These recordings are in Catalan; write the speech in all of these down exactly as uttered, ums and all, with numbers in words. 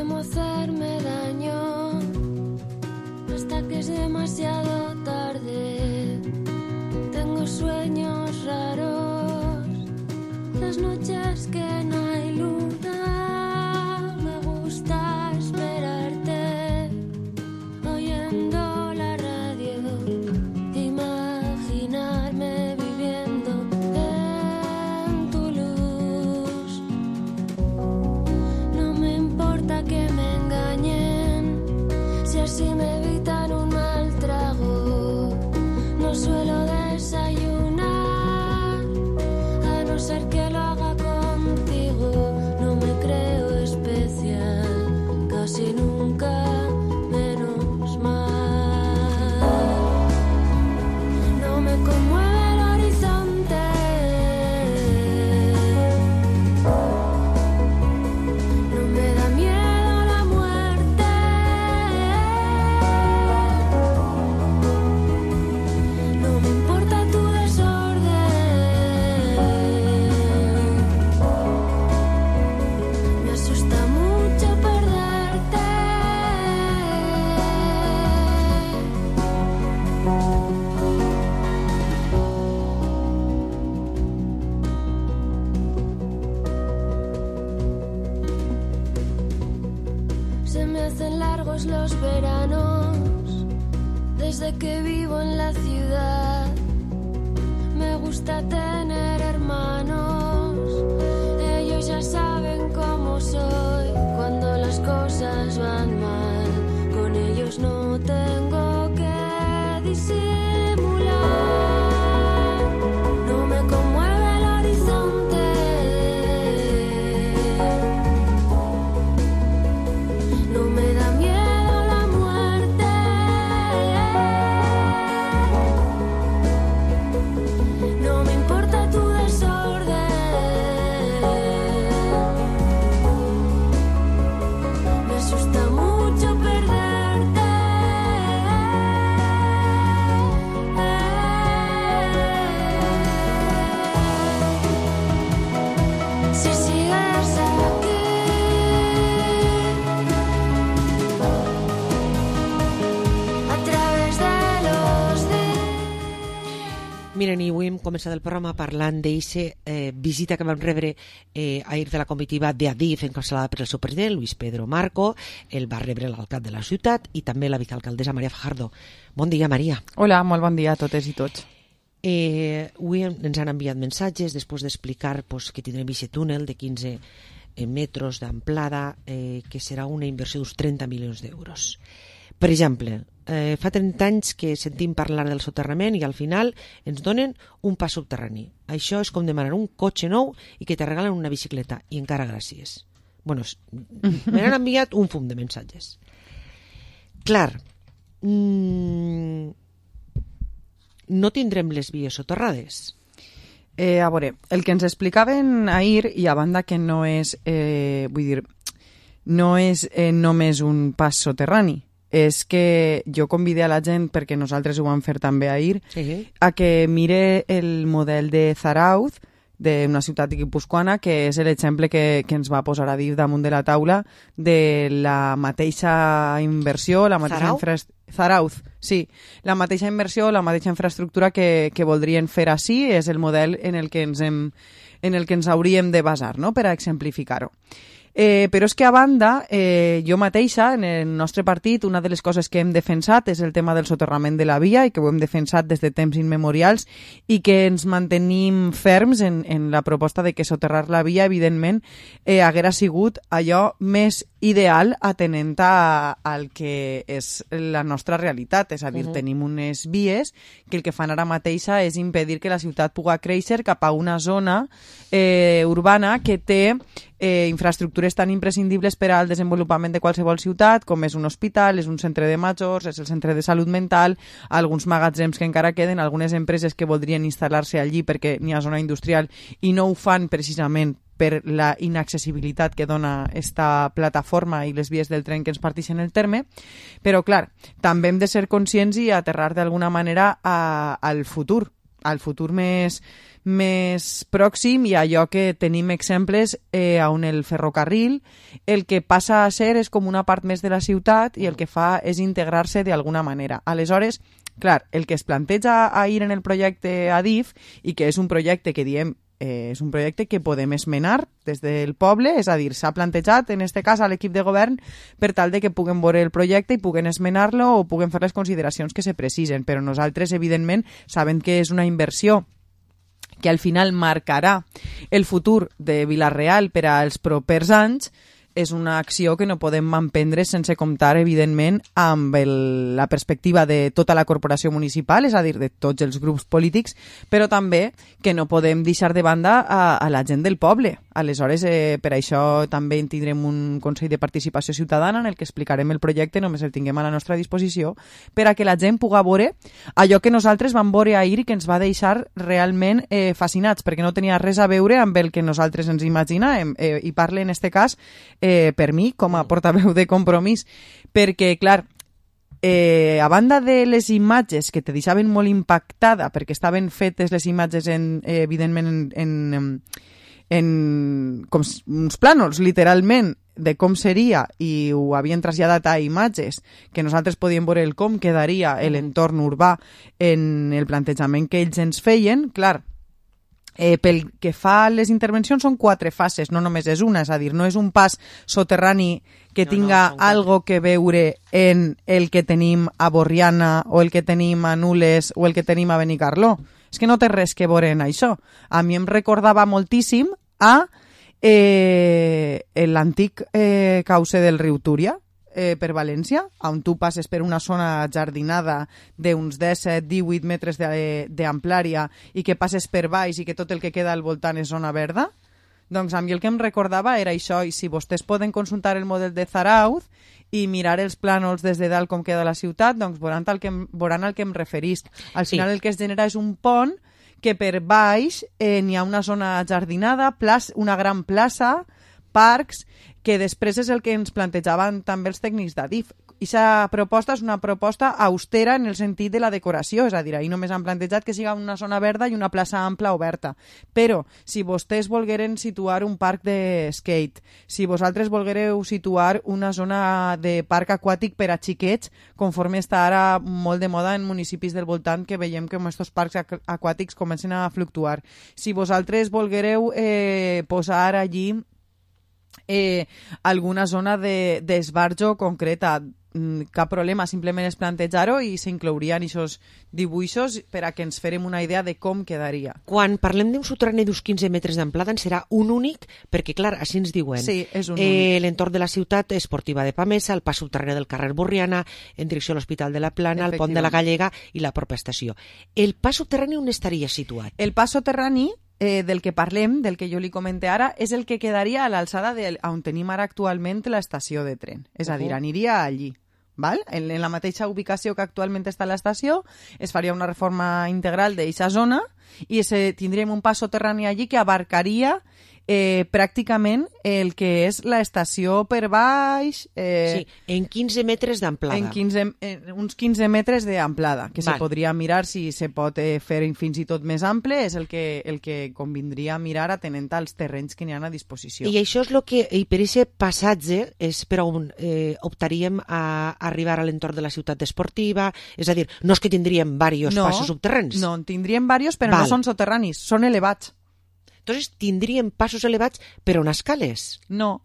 temo hacerme daño hasta que es demasiado tarde. Tengo sueños raros, las noches que no hay luna. Me gusta esperarte oyendo la radio, imaginarme viviendo en tu luz. No me importa que me engañen, si así me evitan un mal trago. No suelo desayunar, a no ser que lo haga contigo. No me creo especial, casi nunca, menos mal. No me conmueve el horizonte, no me da miedo la muerte. No me importa tu desorden, me asusta mucho perderte. Se me hacen largos los veranos desde que vivo en la ciudad. Me gusta tener hermanos, ellos ya saben cómo soy. Cuando las cosas van mal, con ellos no tengo que disimular. No me conmueve el horizonte, no me da miedo la muerte. No me importa tu desorden, me asusta mucho perderte. Si sigues aquí, a través de los días. Miren, i avui hem començat el programa parlant d'eixa eh, visita que vam rebre eh, ahir de la comitiva d'Adif encapçalada per el seu president, Luis Pedro Marco. El va rebre l'alcalde de la ciutat i també la vicalcaldessa Maria Fajardo. Bon dia, Maria. Hola, molt bon dia a totes i tots. Eh, avui ens han enviat missatges després d'explicar pues, que tindrem aquest túnel de quinze eh, metres d'amplada, eh, que serà una inversió d'uns trenta milions d'euros. Per exemple, eh, fa trenta anys que sentim parlar del soterrament i al final ens donen un pas subterrani. Això és com demanar un cotxe nou i que te regalen una bicicleta, i encara gràcies. Bueno, me n'han enviat un fum de missatges. Clar, mmm, no tindrem les vies soterrades. Eh, a veure, el que ens explicaven ahir, i a banda que no és, eh, vull dir, no és eh, només un pas soterrani, és que jo convidé a la gent, perquè nosaltres ho vam fer també ahir, sí. a que mire el model de Zarauz, d'una ciutat guipuscoana, que és l'exemple que, que ens va posar a dir damunt de la taula de la mateixa inversió, la mateixa infraestructura. Zarauz, sí. La mateixa inversió, la mateixa infraestructura que, que voldrien fer així és el model en el que ens, hem, en el que ens hauríem de basar, no?, per a exemplificar-ho. Eh, però és que a banda, eh, jo mateixa, en el nostre partit, una de les coses que hem defensat és el tema del soterrament de la via, i que ho hem defensat des de temps immemorials, i que ens mantenim ferms en, en la proposta de que soterrar la via, evidentment, eh, haguera sigut allò més ideal atenent a, al que és la nostra realitat. És a dir, uh-huh. tenim unes vies que el que fan ara mateixa és impedir que la ciutat pugui créixer cap a una zona eh, urbana que té eh, infraestructures tan imprescindibles per al desenvolupament de qualsevol ciutat, com és un hospital, és un centre de majors, és el centre de salut mental, alguns magatzems que encara queden, algunes empreses que voldrien instal·lar-se allí perquè n'hi ha zona industrial i no ho fan precisament per la inaccessibilitat que dona esta plataforma i les vies del tren que ens partixen el terme, però clar, també hem de ser conscients i aterrar d'alguna manera a, al futur, al futur més, més pròxim i allò que tenim exemples eh, on el ferrocarril el que passa a ser és com una part més de la ciutat i el que fa és integrar-se d'alguna manera. Aleshores, clar, el que es planteja a ir en el projecte Adif i que és un projecte que diem eh, és un projecte que podem esmenar des del poble, és a dir, s'ha plantejat en este cas a l'equip de govern per tal de que puguen veure el projecte i puguen esmenar-lo o puguen fer les consideracions que se precisen, però nosaltres evidentment sabem que és una inversió que al final marcarà el futur de Vila-real per als propers anys, és una acció que no podem emprendre sense comptar, evidentment, amb el, la perspectiva de tota la corporació municipal, és a dir, de tots els grups polítics, però també que no podem deixar de banda a, a la gent del poble. Aleshores, eh, per això també tindrem un Consell de Participació Ciutadana en el que explicarem el projecte, només el tinguem a la nostra disposició, per a que la gent pugui veure allò que nosaltres vam veure ahir i que ens va deixar realment eh, fascinats, perquè no tenia res a veure amb el que nosaltres ens imaginàvem. Eh, I parle, en este cas, eh, per mi, com a portaveu de Compromís, perquè, clar, Eh, a banda de les imatges que te deixaven molt impactada perquè estaven fetes les imatges en, eh, evidentment en, en, en com uns plànols literalment de com seria i ho havien traslladat a imatges que nosaltres podíem veure el com quedaria l'entorn urbà en el plantejament que ells ens feien, clar. Eh, pel que fa a les intervencions són quatre fases, no només és una, és a dir, no és un pas soterrani que no, tinga no, algo que veure en el que tenim a Borriana o el que tenim a Nules o el que tenim a Benicarló. És que no té res que veure en això. A mi em recordava moltíssim a eh, l'antic eh, cauce del riu Túria, Eh, per València, on tu passes per una zona jardinada d'uns disset a divuit metres d'amplària i que passes per baix i que tot el que queda al voltant és zona verda, doncs a mi el que em recordava era això, i si vostès poden consultar el model de Zarauz i mirar els plànols des de dalt com queda la ciutat, doncs veuran al que em, veuran al que em referisc. Al final sí. El que es genera és un pont que per baix eh, n'hi ha una zona jardinada, plaç, una gran plaça, parcs, que després és el que ens plantejaven també els tècnics d'Adif. Aquesta proposta és una proposta austera en el sentit de la decoració, és a dir, ahir només han plantejat que siga una zona verda i una plaça ampla oberta. Però, si vostès volgueren situar un parc de skate, si vosaltres volguereu situar una zona de parc aquàtic per a xiquets, conforme està ara molt de moda en municipis del voltant, que veiem que aquests parcs aquàtics comencen a fluctuar. Si vosaltres volguereu eh, posar allí Eh, alguna zona d'esbarjo de, concreta, cap problema, simplement és plantejar-ho i s'inclourien aquests dibuixos per a que ens farem una idea de com quedaria. Quan parlem d'un soterrani d'uns quinze metres d'amplada en serà un únic, perquè clar, així ens diuen. Sí, és un eh, únic. L'entorn de la ciutat esportiva de Pamesa, el pas subterrani del carrer Borriana, en direcció a l'Hospital de la Plana, el pont de la Gallega i la propera estació. El pas subterrani on estaria situat? El pas soterrani Eh, del que parlem, del que jo li comente ara, és el que quedaria a l'alçada on tenim ara actualment l'estació de tren. És a dir, aniria allí. Val? En, en la mateixa ubicació que actualment està l'estació, es faria una reforma integral d'aquesta zona i se, tindríem un pas soterrani allí que abarcaria eh, pràcticament el que és l'estació per baix. Eh, sí, en quinze metres d'amplada. En, quinze, en uns quinze metres d'amplada, que Val. Se podria mirar si se pot eh, fer fins i tot més ample, és el que, el que convindria mirar atenent als terrenys que n'hi ha a disposició. I això és el que, i per aquest passatge, és per on eh, optaríem a arribar a l'entorn de la ciutat esportiva, és a dir, no és que tindríem diversos no, passos subterranis. No, en tindríem diversos, però Val. No són soterranis, són elevats. Entonces, tindríem passos elevats, però on escales? No.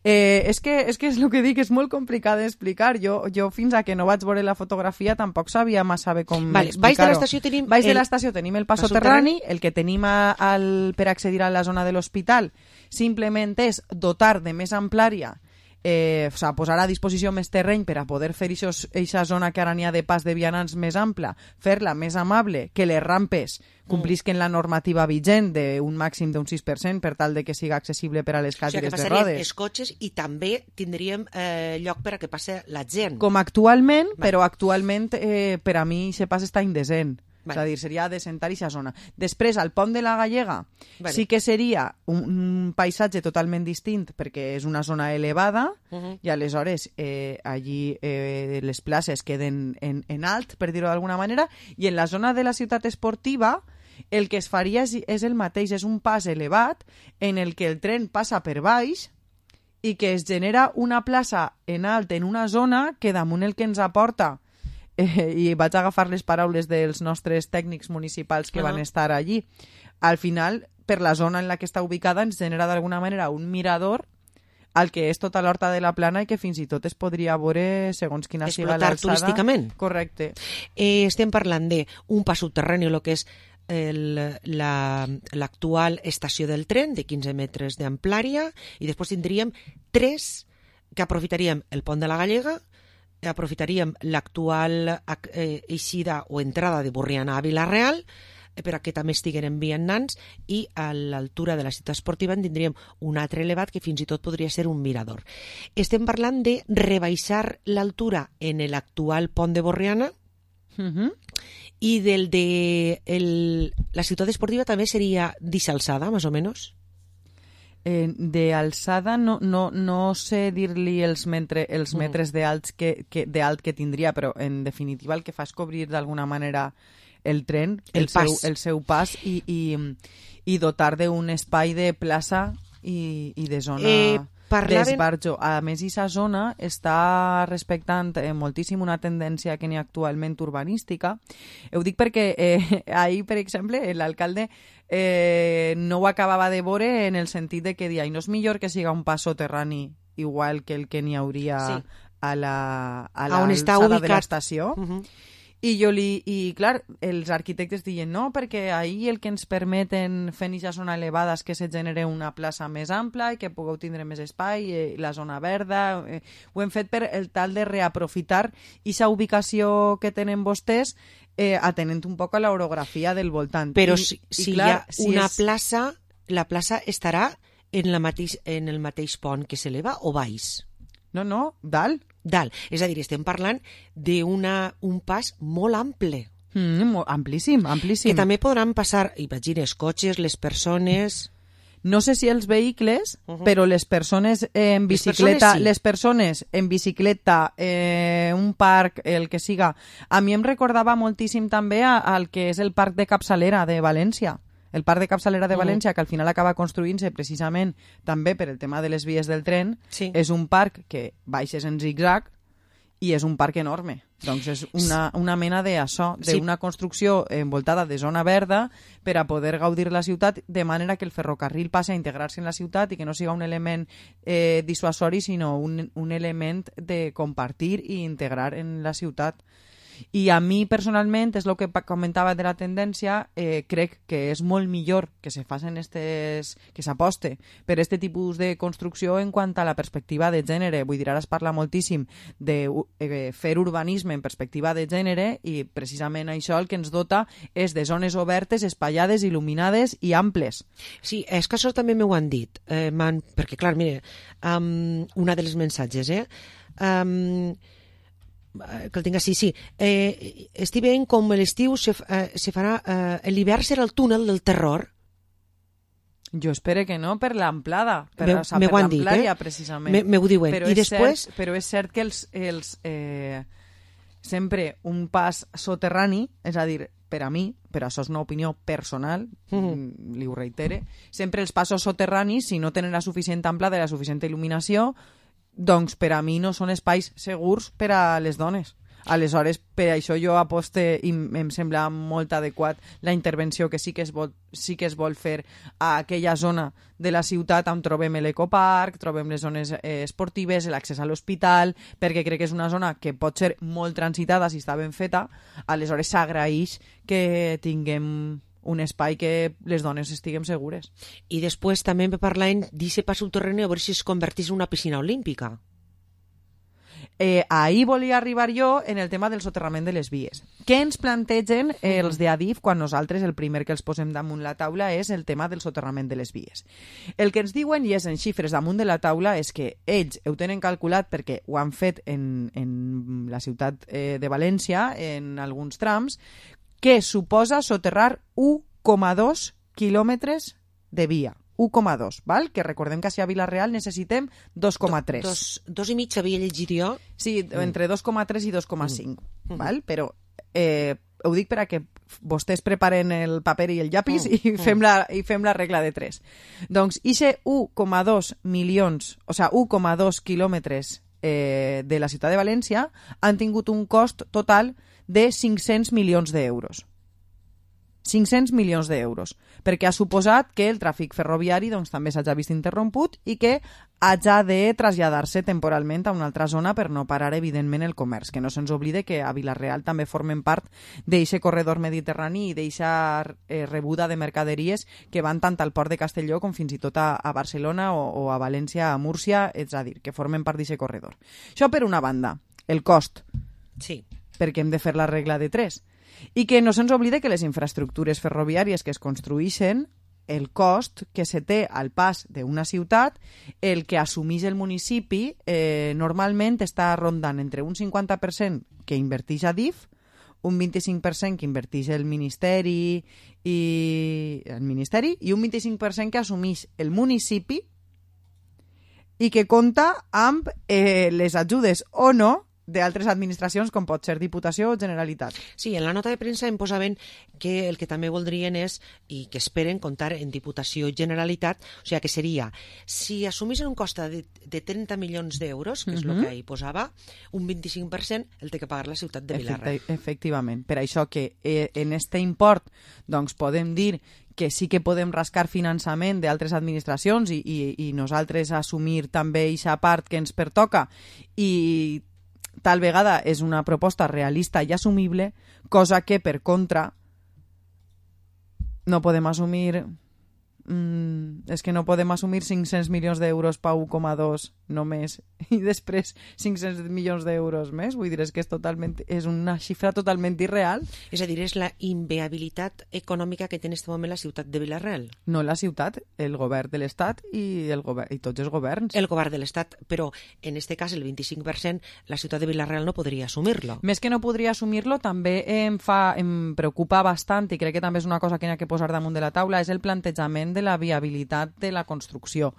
Eh, és, que, és que és el que dic, és molt complicat d'explicar. Jo, jo fins a que no vaig veure la fotografia tampoc sabia massa bé com vale, explicar-ho. Baix de l'estació tenim... Baix el... de l'estació tenim el pas soterrani, el que tenim a, al, per accedir a la zona de l'hospital simplement és dotar de més amplària, eh, o sigui, posar a disposició més terreny per a poder fer aquesta zona que ara n'hi ha de pas de vianants més ampla, fer-la més amable, que les rampes complisquen la normativa vigent d'un màxim d'un sis per cent per tal de que siga accessible per a les cadires o sigui, de rodes. Els cotxes i també tindríem eh, lloc per a que passe la gent. Com actualment, Val. Però actualment eh, per a mi se pas està indecent. Vale. És a dir, seria adescentar aquesta zona. Després, al pont de la Gallega, vale. sí que seria un, un paisatge totalment distint, perquè és una zona elevada, uh -huh. i aleshores eh, allí eh, les places queden en, en alt, per dir-ho d'alguna manera, i en la zona de la ciutat esportiva el que es faria és, és el mateix, és un pas elevat en el que el tren passa per baix i que es genera una plaça en alt en una zona que damunt el que ens aporta, eh, i vaig agafar les paraules dels nostres tècnics municipals que uh -huh. van estar allí, al final, per la zona en la que està ubicada, ens genera d'alguna manera un mirador al que és tota l'horta de la Plana i que fins i tot es podria veure segons quina siga l'alçada. Explotar turísticament. Correcte. Eh, estem parlant d'un pas subterrani, el que és l'actual la, estació del tren de quinze metres d'amplària, i després tindríem tres que aprofitaríem el pont de la Gallega, aprofitaríem l'actual eh, eixida o entrada de Borriana a Vila-real, eh, per a que també estiguen vianants, i a l'altura de la ciutat esportiva en tindríem un altre elevat que fins i tot podria ser un mirador. Estem parlant de rebaixar l'altura en l'actual pont de Borriana, uh-huh. i del de el, la ciutat esportiva també seria d'alçada, més o menys? Eh, de alçada no, no, no sé dir-li els, mentre, els Mm. metres d'alt que, que, de alt que tindria, però en definitiva el que fa és cobrir d'alguna manera el tren, El el, pas. seu, el seu pas, i, i, i dotar d'un espai de plaça i, i de zona Eh, parlaven- d'esbarjo. A més, aquesta zona està respectant eh, moltíssim una tendència que n'hi ha actualment urbanística. Ho dic perquè eh, ahir, per exemple, l'alcalde eh, no ho acabava de veure, en el sentit de que dia, no és millor que siga un pas soterrani igual que el que n'hi hauria Sí. a la a A on està l'alçada de ubicat. l'estació. Uh-huh. I jo li, i clar, els arquitectes diuen no, perquè ahir el que ens permeten fent aquesta zona elevada és que se genere una plaça més ampla i que pugueu tindre més espai, eh, la zona verda. Eh, ho hem fet per el tal de reaprofitar aquesta ubicació que tenen vostès, eh, atenent un poc a l'orografia del voltant. Però I, si, i si clar, hi ha si una és... plaça, la plaça estarà en, la mateix, en el mateix pont que s'eleva o baix? No, no, dalt. Dalt. És a dir, estem parlant d'un pas molt ample, Mm, mo- amplíssim, amplíssim. que també podran passar, imagines, cotxes, les persones... No sé si els vehicles, Uh-huh. però les persones en Les bicicleta, persones sí. les persones en bicicleta, eh, un parc, el que siga. A mi em recordava moltíssim també a- al que és el parc de Capçalera de València. El parc de Capçalera de Uh-huh. València, que al final acaba construint-se precisament també per el tema de les vies del tren, Sí. és un parc que baixes en zig-zag i és un parc enorme. Doncs és una, una mena d'això, Sí. d'una construcció envoltada de zona verda per a poder gaudir la ciutat, de manera que el ferrocarril passi a integrar-se en la ciutat i que no siga un element eh, dissuasori, sinó un, un element de compartir i integrar en la ciutat. I a mi, personalment, és el que pa- comentava de la tendència, eh, crec que és molt millor que se facin estes, que s'aposte per este tipus de construcció en quant a la perspectiva de gènere. Vull dir, ara es parla moltíssim de eh, fer urbanisme en perspectiva de gènere, i precisament això el que ens dota és de zones obertes, espaiades, il·luminades i amples. Sí, és que això també m'ho han dit, eh, man, perquè clar, mire, um, una de les mensatges, eh? Um, que el tinc així, sí. Eh, estic veient com l'estiu se, eh, se farà... Eh, l'hivern serà el túnel del terror. Jo espero que no, per l'amplada, per, Me- o sea, me per ho han dit, l'amplària, eh? precisament. Me, me ho diuen. Però I és després... Cert, però és cert que els, els, eh, sempre un pas soterrani, és a dir, per a mi, però això és una opinió personal, Mhm. mm, li ho reitere, sempre els passos soterranis, si no tenen la suficient ampla de la suficient il·luminació, doncs per a mi no són espais segurs per a les dones. Aleshores, per això jo aposte i em sembla molt adequat la intervenció que sí que es vol, sí que es vol fer a aquella zona de la ciutat on trobem l'ecoparc, trobem les zones eh, esportives, l'accés a l'hospital, perquè crec que és una zona que pot ser molt transitada si està ben feta. Aleshores s'agraeix que tinguem un espai que les dones estiguem segures. I després també me parlaven d'aquest pas subterrani a veure si es convertís en una piscina olímpica. Eh, ahir volia arribar jo en el tema del soterrament de les vies. Què ens plantegen eh, els de Adif quan nosaltres el primer que els posem damunt la taula és el tema del soterrament de les vies? El que ens diuen, i és en xifres damunt de la taula, és que ells ho tenen calculat perquè ho han fet en, en la ciutat eh, de València, en alguns trams, que suposa soterrar u coma dos quilòmetres de via. u coma dos, val? Que recordem que a Vila-real necessitem dos coma tres. Dos, dos i mig havia llegit jo. Sí, entre dos coma tres i dos coma cinc, Mm. val? Però eh, ho dic per a que vostès preparen el paper i el llapis Mm. i, fem la, i fem la regla de tres. Doncs, ixe u coma dos milions, o sigui, u coma dos quilòmetres eh, de la ciutat de València han tingut un cost total de cinc-cents milions d'euros. cinc-cents milions d'euros, perquè ha suposat que el tràfic ferroviari doncs, també s'hagi vist interromput i que hagi de traslladar-se temporalment a una altra zona per no parar, evidentment, el comerç. Que no se'ns oblide que a Vila-real també formen part d'eixe corredor mediterrani i d'eixa eh, rebuda de mercaderies que van tant al port de Castelló com fins i tot a, a Barcelona o, o a València, a Múrcia, és a dir, que formen part d'eixe corredor. Això per una banda, el cost, Sí. perquè hem de fer la regla de tres. I que no se'ns oblide que les infraestructures ferroviàries que es construïxen, el cost que se té al pas d'una ciutat, el que assumeix el municipi, eh, normalment està rondant entre un cinquanta per cent que inverteix a D I F, un vint-i-cinc per cent que inverteix el Ministeri i el Ministeri i un vint-i-cinc per cent que assumeix el municipi i que compta amb eh, les ajudes o no d'altres administracions com pot ser Diputació o Generalitat. Sí, en la nota de premsa em posaven que el que també voldrien és, i que esperen, comptar en Diputació i Generalitat, o sigui que seria, si assumissin un cost de, de trenta milions d'euros, que és el Mhm. que hi posava, un vint-i-cinc per cent el té que pagar la ciutat de Vila-real. Efecte, efectivament. Per això que eh, en este import doncs podem dir que sí que podem rascar finançament d'altres administracions i, i, i nosaltres assumir també aquesta part que ens pertoca i tal vegada és una proposta realista i assumible, cosa que, per contra, no podem assumir... Mm, és que no podem assumir cinc-cents milions d'euros per u coma dos només i després cinc-cents milions d'euros més. Vull dir, és que és, totalment, és una xifra totalment irreal. És a dir, és la inviabilitat econòmica que té en aquest moment la ciutat de Vila-real. No la ciutat, el govern de l'Estat i, el govern, i tots els governs. El govern de l'Estat, però en aquest cas el vint-i-cinc per cent la ciutat de Vila-real no podria assumir-lo. Més que no podria assumir-lo, també em, fa, em preocupa bastant, i crec que també és una cosa que n'hi ha que posar damunt de la taula, és el plantejament de la viabilitat de la construcció.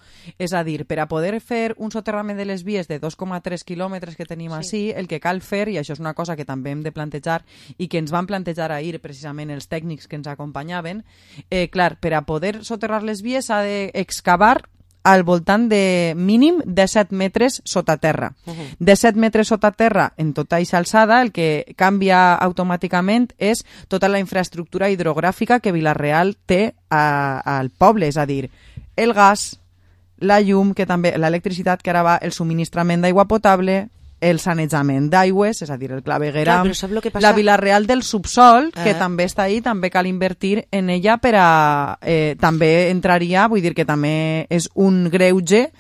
És a dir, per a poder fer un soterrament de les vies de dos coma tres quilòmetres que tenim Sí. així, el que cal fer, i això és una cosa que també hem de plantejar i que ens van plantejar ahir precisament els tècnics que ens acompanyaven, eh, clar, per a poder soterrar les vies s'ha d'excavar al voltant de mínim de set metres sota terra. Uh-huh. De set metres sota terra en tota aquesta alçada, el que canvia automàticament és tota la infraestructura hidrogràfica que Vila-real té a, al poble, és a dir, el gas, la llum, que també l'electricitat, que ara va, el subministrament d'aigua potable, el sanejament d'aigües, és a dir, el clavegueram, Clar, però sap lo que passa? la Vila-real del subsol, que Eh. també està ahí, també cal invertir en ella per a... Eh, també entraria, vull dir que també és un greuge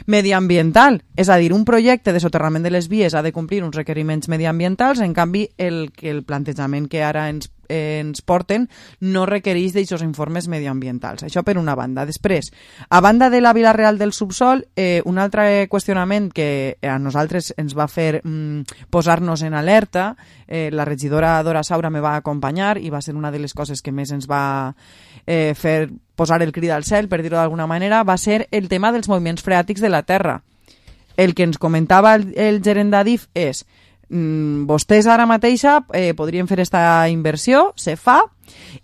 mediambiental. És a dir, un projecte de soterrament de les vies ha de complir uns requeriments mediambientals, en canvi, el, que el plantejament que ara ens eh, ens porten no requereix d'aquests informes mediambientals. Això per una banda. Després, a banda de la Vila-real del subsol, eh, un altre qüestionament que a nosaltres ens va fer mm, posar-nos en alerta, eh, la regidora Dora Saura me va acompanyar i va ser una de les coses que més ens va eh, fer posar el crit al cel, per dir-ho d'alguna manera, va ser el tema dels moviments freàtics de la terra. El que ens comentava el, el gerent d'A D I F és Mm, vostès ara mateixa eh, podrien fer esta inversió, se fa,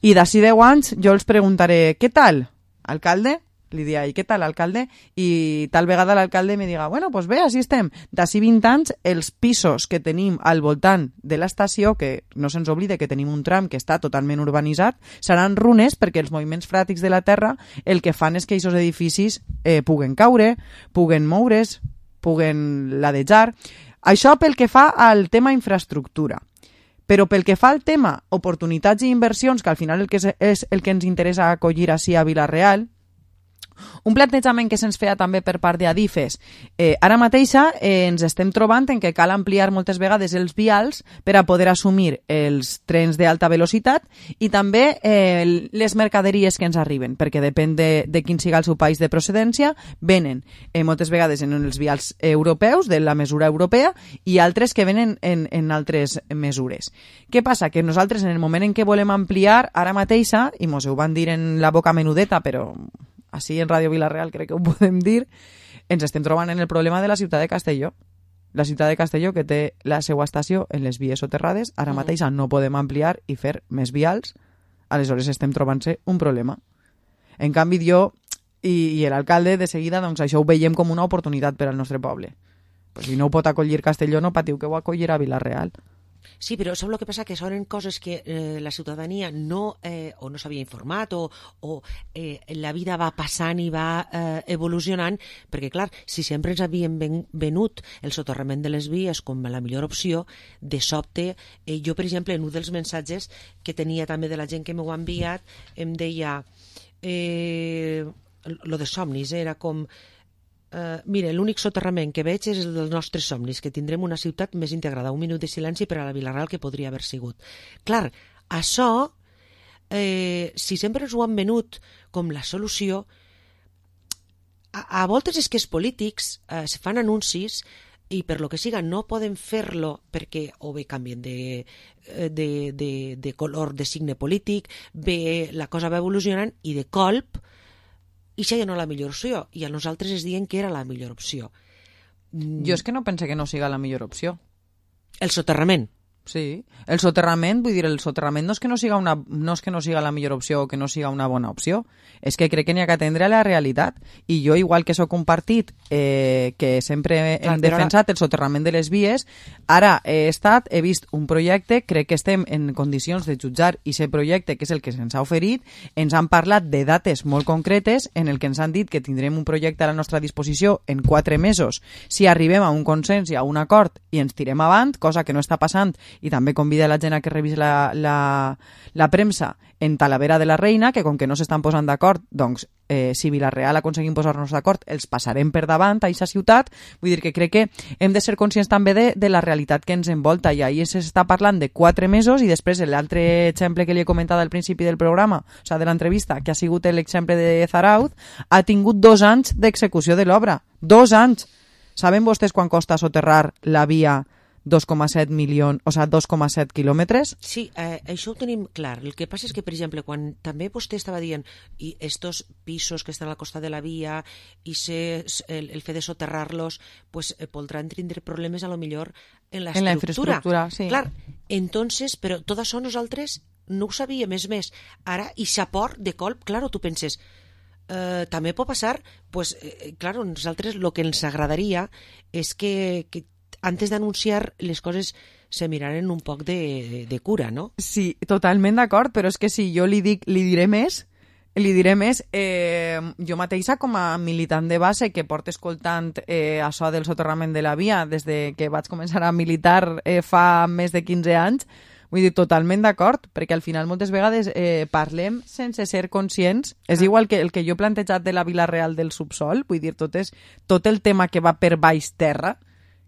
i d'ací deu anys jo els preguntaré, què tal, alcalde? Li diria, i què tal, alcalde? I tal vegada l'alcalde me diga, bueno, doncs bé, així estem. D'ací vint anys, els pisos que tenim al voltant de l'estació, que no se'ns oblide que tenim un tram que està totalment urbanitzat, seran runes perquè els moviments freàtics de la terra el que fan és que aquests edificis eh, puguen caure, puguen moure's, puguen ladejar. Això pel que fa al tema infraestructura. Però pel que fa al tema oportunitats i inversions, que al final el que és, és el que ens interessa acollir així a Vila-real, Un plantejament que se'ns feia també per part d'Adif és eh, ara mateixa eh, ens estem trobant en que cal ampliar moltes vegades els vials per a poder assumir els trens d'alta velocitat i també eh, les mercaderies que ens arriben, perquè depèn de, de quin siga el seu país de procedència, venen eh, moltes vegades en els vials europeus, de la mesura europea, i altres que venen en, en altres mesures. Què passa? Que nosaltres, en el moment en què volem ampliar, ara mateixa, i mos ho van dir en la boca menudeta, però així en Ràdio Vila-real crec que ho podem dir, ens estem trobant en el problema de la ciutat de Castelló. La ciutat de Castelló, que té la seva estació en les vies soterrades, ara mateixa no podem ampliar i fer més vials, aleshores estem trobant-se un problema. En canvi, jo i, i l'alcalde, de seguida, doncs això ho veiem com una oportunitat per al nostre poble. Pues si no ho pot acollir Castelló, no patiu que ho acollirà Vila-real. Sí, però sap el que passa? Que són coses que eh, la ciutadania no, eh, o no s'havia informat o, o eh, la vida va passant i va eh, evolucionant, perquè, clar, si sempre ens havien ven, venut el soterrament de les vies com la millor opció, de sobte, eh, jo, per exemple, en un dels missatges que tenia també de la gent que m'ho ha enviat, em deia, eh, lo de somnis, era com... Uh, mira, l'únic soterrament que veig és el dels nostres somnis, que tindrem una ciutat més integrada. Un minut de silenci per a la Vila-real que podria haver sigut. Clar, això, eh, si sempre ens ho han venut com la solució, a, a voltes és que els polítics eh, se fan anuncis i per lo que siga no poden fer-lo perquè o bé canvien de, de, de, de color, de signe polític, bé la cosa va evolucionant i de colp i això ja no és la millor opció, i a nosaltres es diuen que era la millor opció. Mm. Jo és que no pense que no siga la millor opció. El soterrament. Sí, el soterrament, vull dir, el soterrament no és que no siga una, no és que no siga la millor opció o que no siga una bona opció, és que crec que n'hi ha que atendre a la realitat, i jo, igual que soc un partit eh, que sempre hem Clar, defensat ara... el soterrament de les vies, ara he estat, he vist un projecte, crec que estem en condicions de jutjar i aquest projecte, que és el que se'ns ha oferit, ens han parlat de dates molt concretes en el que ens han dit que tindrem un projecte a la nostra disposició en quatre mesos si arribem a un consens i a un acord i ens tirem avant, cosa que no està passant, i també convida la gent a que revisi la, la, la premsa en Talavera de la Reina, que com que no s'estan posant d'acord, doncs eh, si Vila-real aconseguim posar-nos d'acord, els passarem per davant a aquesta ciutat. Vull dir que crec que hem de ser conscients també de, de la realitat que ens envolta, i ahir s'està parlant de quatre mesos, i després l'altre exemple que li he comentat al principi del programa, o sigui, de l'entrevista, que ha sigut l'exemple de Zarauz, ha tingut dos anys d'execució de l'obra. Dos anys! Saben vostès quan costa soterrar la via dos coma set milions, o sigui, dos coma set quilòmetres? Sí, eh, això ho tenim clar. El que passa és que, per exemple, quan també vostè estava dient i estos pisos que estan al costat de la via i se, el, el fet de soterrar-los, pues, eh, podran tindre problemes a lo millor en la en la estructura. infraestructura, sí. Clar, entonces, però tot això nosaltres no ho sabíem, més més. Ara, i s'aport de colp, claro, tu penses, eh, també pot passar, pues, eh, claro, nosaltres el que ens agradaria és que, que antes d'anunciar les coses se miraren un poc de, de cura, no? Sí, totalment d'acord, però és que si jo li dic, li diré més, li diré més, eh, jo mateixa com a militant de base que porto escoltant eh, això del soterrament de la via des de que vaig començar a militar eh, fa més de quinze anys, vull dir, totalment d'acord, perquè al final moltes vegades eh, parlem sense ser conscients. Ah. És igual que el que jo he plantejat de la Vila-real del subsol, vull dir, tot, és, tot el tema que va per baix terra,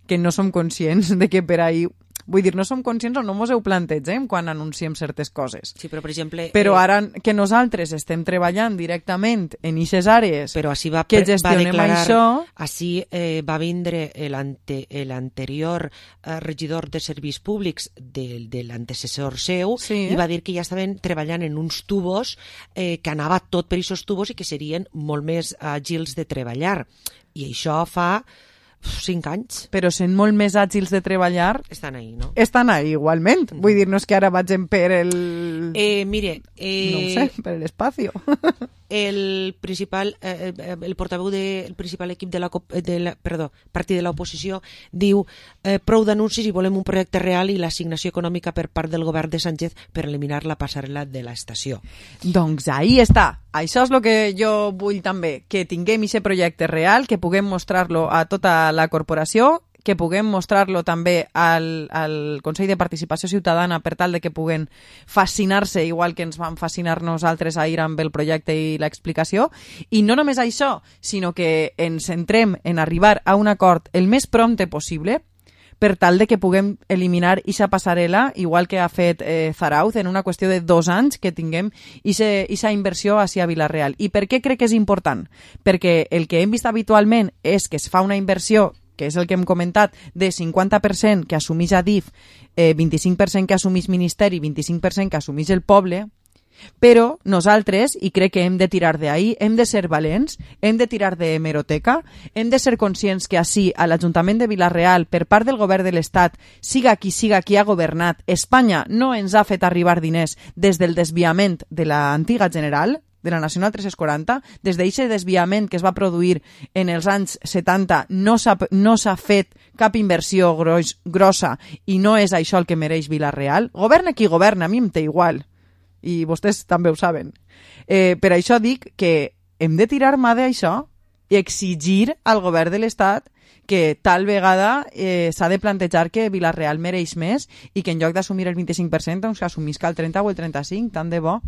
que no som conscients de que per ahí... Vull dir, no som conscients o no mos ho plantegem quan anunciem certes coses. Sí, però, per exemple... Però eh... ara que nosaltres estem treballant directament en aquestes àrees però així va, que gestionem va declarar, això... Així eh, va vindre l'anterior eh, regidor de serveis públics de, de l'antecessor seu, sí. I va dir que ja estaven treballant en uns tubos eh, que anava tot per aquests tubos i que serien molt més àgils de treballar. I això fa... cinc anys. Però sent molt més àgils de treballar... Estan ahí, no? Estan ahí, igualment. Mm. Vull dir, no és que ara vagin per el... Eh, mire... Eh, no ho sé, per l'espacio. El principal, eh, el portaveu del de, principal equip de la, de la, perdó, partit de l'oposició diu eh, prou d'anuncis i volem un projecte real i l'assignació econòmica per part del govern de Sánchez per eliminar la passarel·la de l'estació. Doncs ahí està. Això és el que jo vull també, que tinguem aquest projecte real, que puguem mostrar-lo a tota la corporació, que puguem mostrar-lo també al, al Consell de Participació Ciutadana per tal de que puguen fascinar-se igual que ens van fascinar nosaltres ahir amb el projecte i l'explicació. I no només això, sinó que ens centrem en arribar a un acord el més prompte possible per tal de que puguem eliminar aquesta passarel·la, igual que ha fet eh, Zarauz, en una qüestió de dos anys que tinguem aquesta inversió hacia Vila-real. I per què crec que és important? Perquè el que hem vist habitualment és que es fa una inversió, que és el que hem comentat, de cinquanta per cent que assumeix Adif, eh, vint-i-cinc per cent que assumeix Ministeri, vint-i-cinc per cent que assumeix el poble, però nosaltres, i crec que hem de tirar d'ahí, hem de ser valents, hem de tirar de hemeroteca, hem de ser conscients que així, a l'Ajuntament de Vila-real, per part del govern de l'Estat, siga qui siga qui ha governat, Espanya no ens ha fet arribar diners des del desviament de l'antiga General, de la Nacional tres-cents quaranta, des d'aquest desviament que es va produir en els anys setanta, no s'ha no s'ha fet cap inversió gros, grossa i no és això el que mereix Vila-real. Governa qui governa, a mi em té igual. I vostès també ho saben. Eh, per això dic que hem de tirar mà d'això i exigir al govern de l'Estat que tal vegada eh, s'ha de plantejar que Vila-real mereix més i que en lloc d'assumir el vint-i-cinc per cent doncs assumisca el trenta o el trenta-cinc, tant de bo.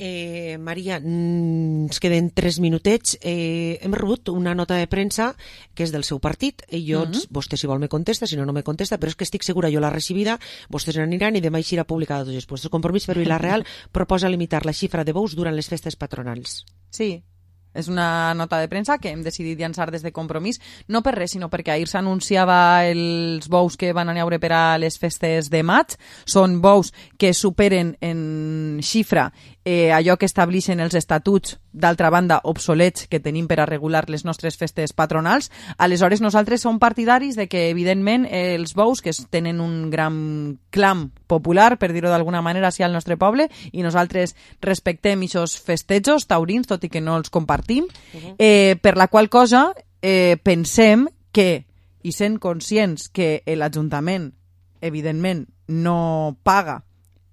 Eh, Maria, ens queden tres minutets. Eh, hem rebut una nota de premsa que és del seu partit i jo, mm-hmm. vostè si vol me contesta, si no, no me contesta, però és que estic segura, jo l'ha recibida, vostès n'aniran i demà així serà publicada tots els puestos. El Compromís per Vila-real proposa limitar la xifra de bous durant les festes patronals. Sí, és una nota de premsa que hem decidit llançar des de Compromís, no per res, sinó perquè ahir s'anunciava els bous que van anar per a les festes de maig. Són bous que superen en xifra eh, allò que estableixen els estatuts, d'altra banda, obsolets que tenim per a regular les nostres festes patronals. Aleshores, nosaltres som partidaris de que, evidentment, eh, els bous, que tenen un gran clam popular, per dir-ho d'alguna manera, hacia el nostre poble, i nosaltres respectem aquests festejos taurins, tot i que no els compartim, uh-huh. eh, per la qual cosa eh, pensem que, i sent conscients que l'Ajuntament, evidentment, no paga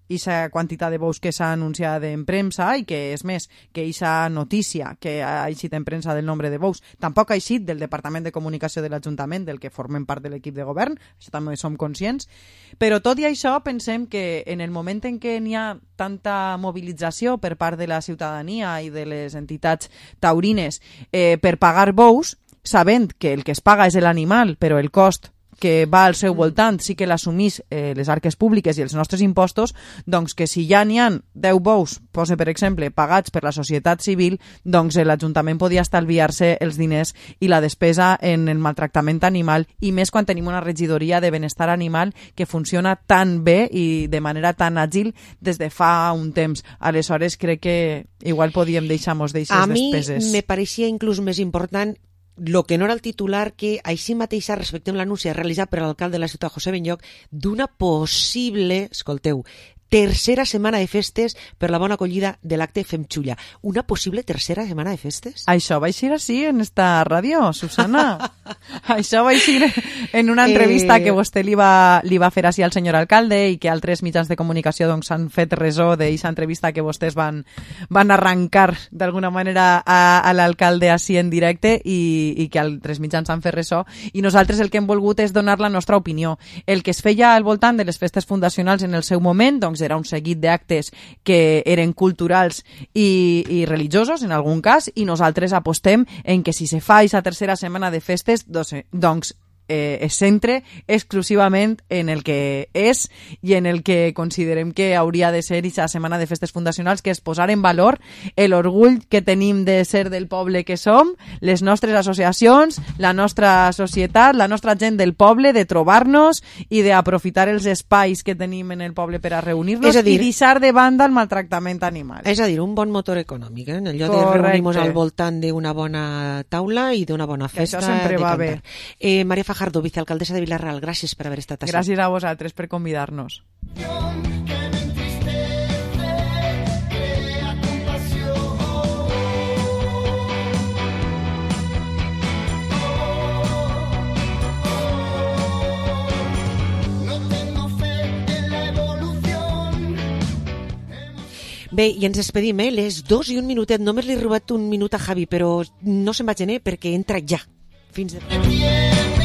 aquesta quantitat de bous que s'ha anunciat en premsa i que, és més, que aquesta notícia que ha eixit en premsa del nombre de bous tampoc ha eixit del Departament de Comunicació de l'Ajuntament, del que formem part de l'equip de govern, això també som conscients, però tot i això pensem que en el moment en què n'hi ha tanta mobilització per part de la ciutadania i de les entitats taurines eh, per pagar bous, sabent que el que es paga és l'animal, però el cost que va al seu voltant sí que l'assumís eh, les arques públiques i els nostres impostos, doncs que si ja n'hi ha deu bous, posa per exemple, pagats per la societat civil, doncs l'Ajuntament podia estalviar-se els diners i la despesa en el maltractament animal, i més quan tenim una regidoria de benestar animal que funciona tan bé i de manera tan àgil des de fa un temps. Aleshores crec que igual podíem deixar-nos d'aixes despeses. A mi me pareixia inclús més important lo que no era el titular, que així mateixa respectem l'anunci realitzat per l'alcalde de la ciutat, José Benlloc, d'una possible, escolteu, tercera setmana de festes per la bona acollida de l'acte Fem Xulla. Una possible tercera setmana de festes? Això va eixir així en esta ràdio, Susana. Això va eixir en una entrevista eh... que vostè li va, li va fer així al senyor alcalde i que altres mitjans de comunicació doncs, han fet resó d'aquesta entrevista que vostès van, van arrencar d'alguna manera a, a l'alcalde així en directe i, i que altres mitjans han fet resó. I nosaltres el que hem volgut és donar la nostra opinió. El que es feia al voltant de les festes fundacionals en el seu moment, doncs era un seguit d'actes que eren culturals i, i religiosos en algun cas, i nosaltres apostem en que si se fa aquesta tercera setmana de festes doncs, doncs eh, es centre exclusivament en el que és i en el que considerem que hauria de ser aquesta setmana de festes fundacionals, que és posar en valor l'orgull que tenim de ser del poble que som, les nostres associacions, la nostra societat, la nostra gent del poble, de trobar-nos i d'aprofitar els espais que tenim en el poble per a reunir-nos i deixar de banda el maltractament animal. És a dir, un bon motor econòmic, eh? En allò de reunir-nos al voltant d'una bona taula i d'una bona festa. Això sempre va bé. Eh, Maria Fajardo, vicealcaldessa de Vila-real, gràcies per haver estat així. Gràcies a vosaltres per convidar-nos. Bé, i ens despedim, eh? Les dos i un minutet. Només li he robat un minut a Javi, però no se'n va gener perquè entra ja. Fins de...